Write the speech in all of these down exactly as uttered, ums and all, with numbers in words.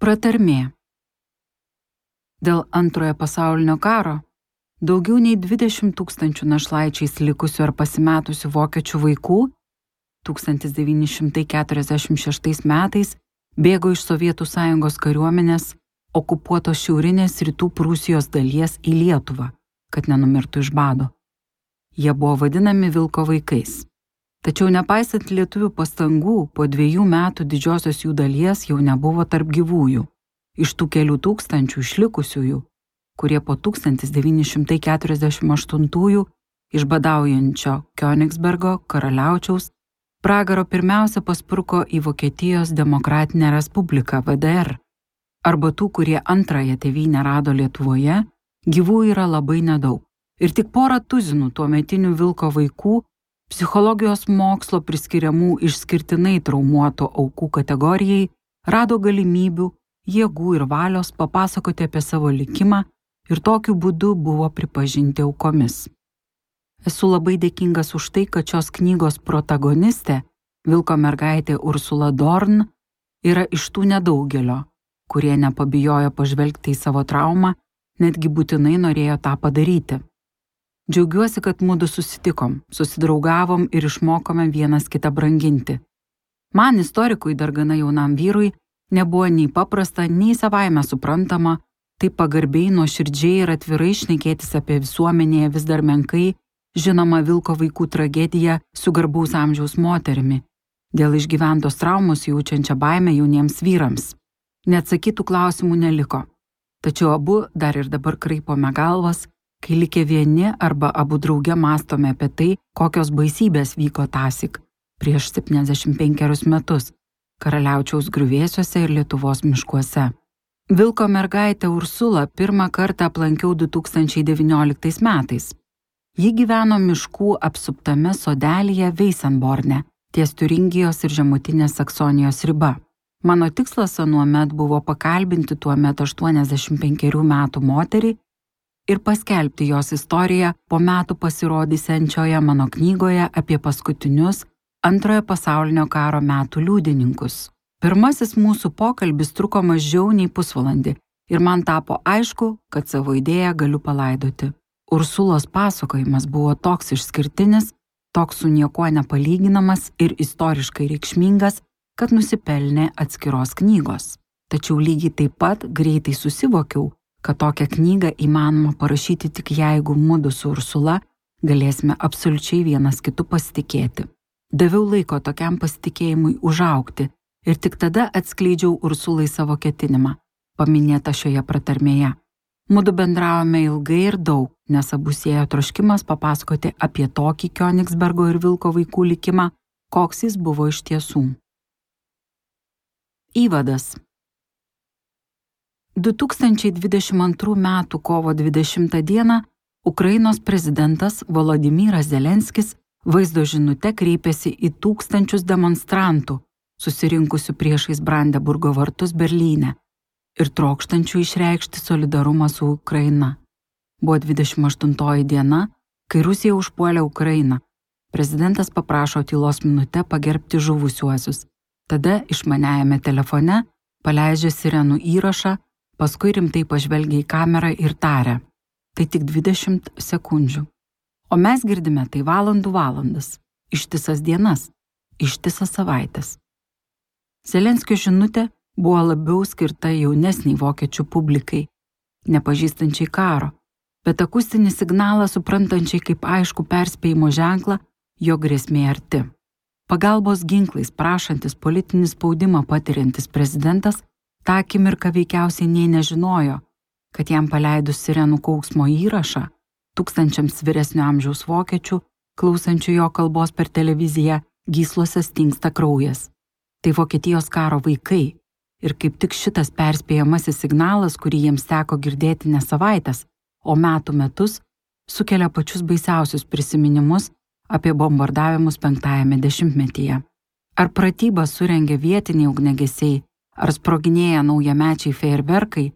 Pratarmė. Dėl Antrojo pasaulinio karo daugiau nei dvidešimt tūkstančių našlaičiais likusių ar pasimetusių vokiečių vaikų tūkstantis devyni šimtai keturiasdešimt šeštais metais bėgo iš Sovietų Sąjungos kariuomenės okupuotos šiaurinės rytų Prūsijos dalies į Lietuvą, kad nenumirtų iš bado. Jie buvo vadinami vilko vaikais. Tačiau nepaisant lietuvių pastangų, po dviejų metų didžiosios jų dalies jau nebuvo tarp gyvųjų. Iš tų kelių tūkstančių išlikusiųjų, kurie po tūkstantis devyni šimtai keturiasdešimt aštuntųjų iš badaujančio Kionigsbergo karaliaučiaus pragaro pirmiausia paspruko į Vokietijos Demokratinę Respubliką V D R, arba tų, kurie antrąją tėvynę rado Lietuvoje, gyvų yra labai nedaug. Ir tik porą tuzinų tuometinių vilko vaikų psichologijos mokslo priskiriamų išskirtinai traumuotų aukų kategorijai rado galimybių, jėgų ir valios papasakoti apie savo likimą ir tokiu būdu buvo pripažinti aukomis. Esu labai dėkingas už tai, kad šios knygos protagonistė, vilko mergaitė Ursula Dorn, yra iš tų nedaugelio, kurie nepabijojo pažvelgti į savo traumą, netgi būtinai norėjo tą padaryti. Džiaugiuosi, kad mudu susitikom, susidraugavom ir išmokome vienas kitą branginti. Man, istorikui dar gana jaunam vyrui, nebuvo nei paprasta, nei savaime suprantama, taip pagarbiai, nuoširdžiai ir atvirai šnekėtis apie visuomenėje vis dar menkai žinoma vilko vaikų tragediją su garbaus amžiaus moterimi, dėl išgyventos traumos jaučiančią baimę jauniems vyrams. Neatsakytų klausimų neliko, tačiau abu dar ir dabar kraipome galvas, kai likę vieni arba abu drauge mąstome apie tai, kokios baisybės vyko tąsyk prieš septyniasdešimt penkerius metus karaliaučiaus griuvėsiuose ir Lietuvos miškuose. Vilko mergaitę Ursulą pirmą kartą aplankiau du tūkstančiai devynioliktais metais. Ji gyveno miškų apsuptame sodelyje Veisenborne, ties Tiuringijos ir žemutinės Saksonijos riba. Mano tikslas anuomet buvo pakalbinti tuomet aštuoniasdešimt penkerių metų moterį ir paskelbti jos istoriją po metų pasirodysiančioje mano knygoje apie paskutinius Antrojo pasaulinio karo metų liudininkus. Pirmasis mūsų pokalbis truko mažiau nei pusvalandį ir man tapo aišku, kad savo idėją galiu palaidoti. Ursulos pasakojimas buvo toks išskirtinis, toks su niekuo nepalyginamas ir istoriškai reikšmingas, kad nusipelnė atskiros knygos. Tačiau lygiai taip pat greitai susivokiau, kad tokią knygą įmanoma parašyti tik jeigu mudu su Ursula galėsime absoliučiai vienas kitu pasitikėti. Daviau laiko tokiam pasitikėjimui užaugti ir tik tada atskleidžiau Ursulai savo ketinimą, paminėtą šioje pratarmėje. Mudu bendravome ilgai ir daug, nes abu siejo troškimas papasakoti apie tokį Kionigsbergo ir vilko vaikų likimą, koks jis buvo iš tiesų. Įvadas. du tūkstančiai dvidešimt antrų metų kovo dvidešimtą dieną Ukrainos prezidentas Volodymyras Zelenskis vaizdo žinute kreipėsi į tūkstančius demonstrantų, susirinkusių priešais Brandenburgo vartus Berlyne ir trokštančių išreikšti solidarumą su Ukraina. Buvo dvidešimt aštuntoji diena, kai Rusija užpuolė Ukrainą. Prezidentas paprašo tylos minutę pagerbti žuvusiuosius. Tada išmaniajame telefone paleidžia sirenų įrašą, paskui rimtai pažvelgia į kamerą ir taria. Tai tik dvidešimt sekundžių. O mes girdime tai valandų valandas, ištisas dienas, ištisas savaitės. Zelenskio žinutė buvo labiau skirta jaunesniai vokiečių publikai, nepažįstančiai karo, bet akustinį signalą suprantančiai kaip aišku perspėjimo ženklą, jo grėsmė arti. Pagalbos ginklais prašantis politinį spaudimą patiriantis prezidentas tą akimirką veikiausiai nei nežinojo, kad jam paleidus sirenų kauksmo įrašą, tūkstančiams vyresnio amžiaus vokiečių, klausančių jo kalbos per televiziją, gyslose stingsta kraujas. Tai Vokietijos karo vaikai ir kaip tik šitas perspėjamasis signalas, kurį jiems teko girdėti ne savaitės, o metų metus, sukelia pačius baisiausius prisiminimus apie bombardavimus penktajame dešimtmetyje. Ar pratybas surengė vietiniai ugniagesiai, ar sproginėja naujamečiai fejerverkai,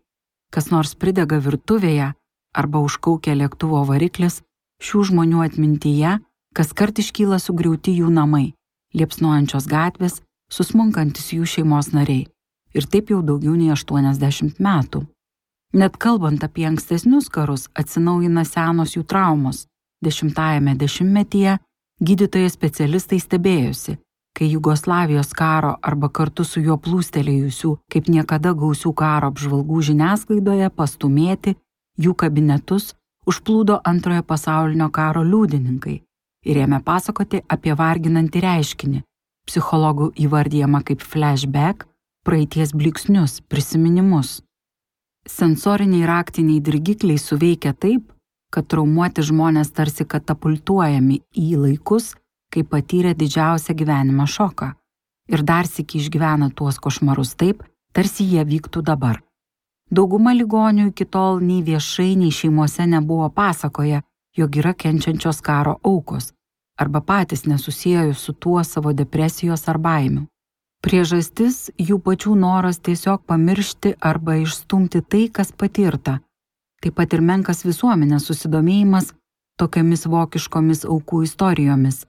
kas nors pridega virtuvėje arba užkaukia lėktuvo variklis, šių žmonių atmintyje kaskart iškyla sugriauti jų namai, liepsnojančios gatvės, susmunkantis jų šeimos nariai. ir taip jau daugiau nei aštuoniasdešimt metų. Net kalbant apie ankstesnius karus, atsinaujina senos jų traumos. Dešimtajame dešimtmetyje gydytojai specialistai stebėjosi, kai Jugoslavijos karo arba kartu su juo plūstelėjusių kaip niekada gausių karo apžvalgų žiniasklaidoje pastumėti jų kabinetus užplūdo antrojo pasaulinio karo liudininkai ir ėmė pasakoti apie varginantį reiškinį, psichologų įvardyjama kaip flashback, praeities blyksnius, prisiminimus. Sensoriniai raktiniai dirgikliai suveikia taip, kad traumuoti žmonės tarsi katapultuojami į laikus, kai patyrė didžiausią gyvenimo šoką ir dar sykį išgyvena tuos košmarus taip, tarsi jie vyktų dabar. Dauguma ligonių iki tol nei viešai, nei šeimose nebuvo pasakoję, jog yra kenčiančios karo aukos, arba patys nesusiejo su tuo savo depresijos ar baimių. Priežastis jų pačių noras tiesiog pamiršti arba išstumti tai, kas patirta. Taip pat ir menkas visuomenės susidomėjimas tokiamis vokiškomis aukų istorijomis.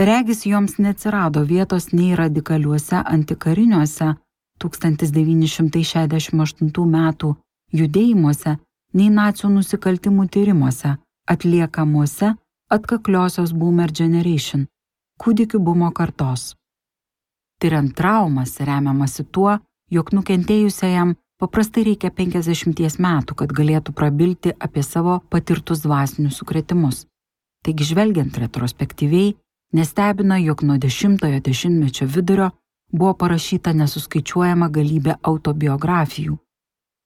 Regis joms neatsirado vietos nei radikaliuose antikariniuose tūkstantis devyni šimtai šešiasdešimt aštuntų metų judėjimuose, nei nacių nusikaltimų tyrimuose, atliekamuose atkakliosios Boomer Generation, kūdikių bumo kartos. Tyriant traumas remiamasi tuo, jog nukentėjusiajam paprastai reikia penkiasdešimties metų, kad galėtų prabilti apie savo patirtus dvasinius sukrėtimus. Taigi žvelgiant retrospektyviai, nestebina, jog nuo dešimtojo dešimtmečio vidurio buvo parašyta nesuskaičiuojama galybė autobiografijų.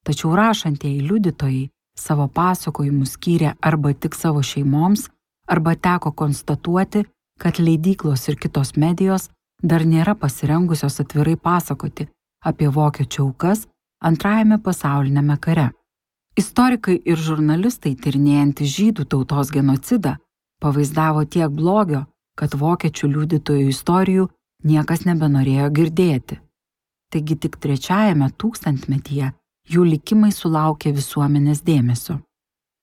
Tačiau rašantieji liudytojai savo pasakojimus skyrė arba tik savo šeimoms, arba teko konstatuoti, kad leidyklos ir kitos medijos dar nėra pasirengusios atvirai pasakoti apie vokiečių aukas antrajame pasauliniame kare. Istorikai ir žurnalistai tyrinėjantys žydų tautos genocidą pavaizdavo tiek blogio, kad vokiečių liudytojų istorijų niekas nebenorėjo girdėti. Taigi tik trečiajame tūkstantmetyje jų likimai sulaukė visuomenės dėmesio.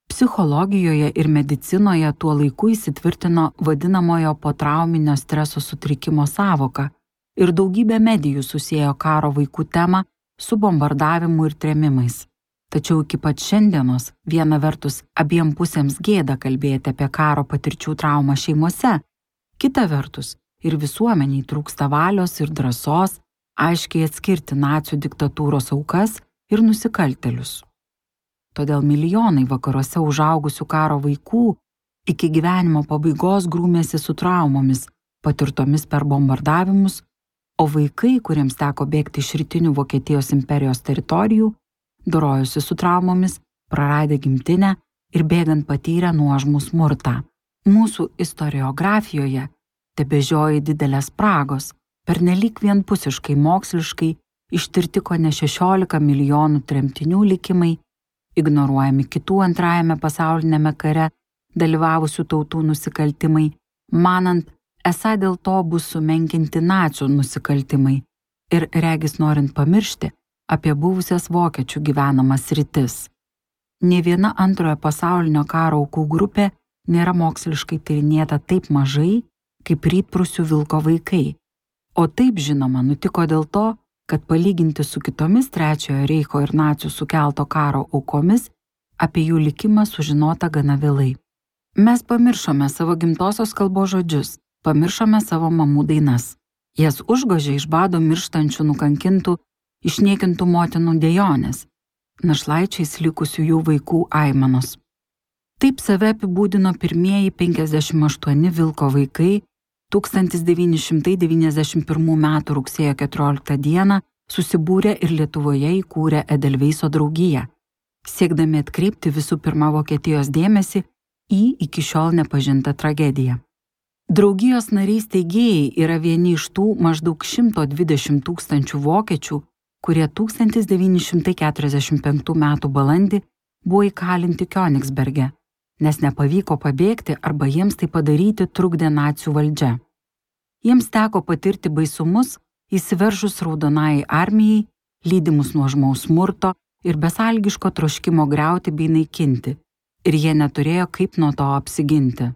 Psichologijoje ir medicinoje tuo laiku įsitvirtino vadinamojo potrauminio streso sutrikimo sąvoka ir daugybė medijų susiejo karo vaikų temą su bombardavimu ir trėmimais. Tačiau iki pat šiandienos viena vertus abiem pusėms gėda kalbėti apie karo patirčių traumą šeimose, kita vertus ir visuomeniai trūksta valios ir drąsos aiškiai atskirti nacių diktatūros aukas ir nusikaltėlius. Todėl milijonai vakaruose užaugusių karo vaikų iki gyvenimo pabaigos grūmėsi su traumomis, patirtomis per bombardavimus, o vaikai, kuriems teko bėgti iš rytinių Vokietijos imperijos teritorijų, dorojosi su traumomis, praradę gimtinę ir bėgant patyrę nuožmų smurtą. Mūsų istoriografijoje tebežioja didelės spragos, pernelyg vienpusiškai moksliškai ištirti kone šešiolika milijonų tremtinių likimai, ignoruojami kitų antrajame pasauliniame kare dalyvavusių tautų nusikaltimai, manant, esą dėl to bus sumenkinti nacių nusikaltimai ir regis norint pamiršti apie buvusias vokiečių gyvenamas sritis. Nė viena antrojo pasaulinio karo aukų grupė nėra moksliškai tyrinėta taip mažai, kaip Rytprūsių vilko vaikai. O taip žinoma nutiko dėl to, kad palyginti su kitomis Trečiojo reicho ir nacių sukelto karo aukomis, apie jų likimą sužinota gana vėlai. Mes pamiršome savo gimtosios kalbos žodžius, pamiršome savo mamų dainas. Jas užgožė iš bado mirštančių nukankintų, išniekintų motinų dejonės, našlaičiais likusių jų vaikų aimanos. Taip save apibūdino pirmieji penkiasdešimt aštuoni vilko vaikai tūkstantis devyni šimtai devyniasdešimt pirmų metų rugsėjo keturioliktą dieną susibūrė ir Lietuvoje įkūrė Edelveiso draugiją, siekdami atkreipti visų pirma Vokietijos dėmesį į iki šiol nepažintą tragediją. Draugijos nariai steigėjai yra vieni iš tų maždaug šimto dvidešimt tūkstančių vokiečių, kurie tūkstantis devyni šimtai keturiasdešimt penktų metų balandį buvo įkalinti Kionigsberge, nes nepavyko pabėgti arba jiems tai padaryti trukdė nacių valdžia. Jiems teko patirti baisumus įsiveržus Raudonajai armijai, lydimus nuožmaus smurto ir besąlygiško troškimo griauti bei naikinti, ir jie neturėjo kaip nuo to apsiginti.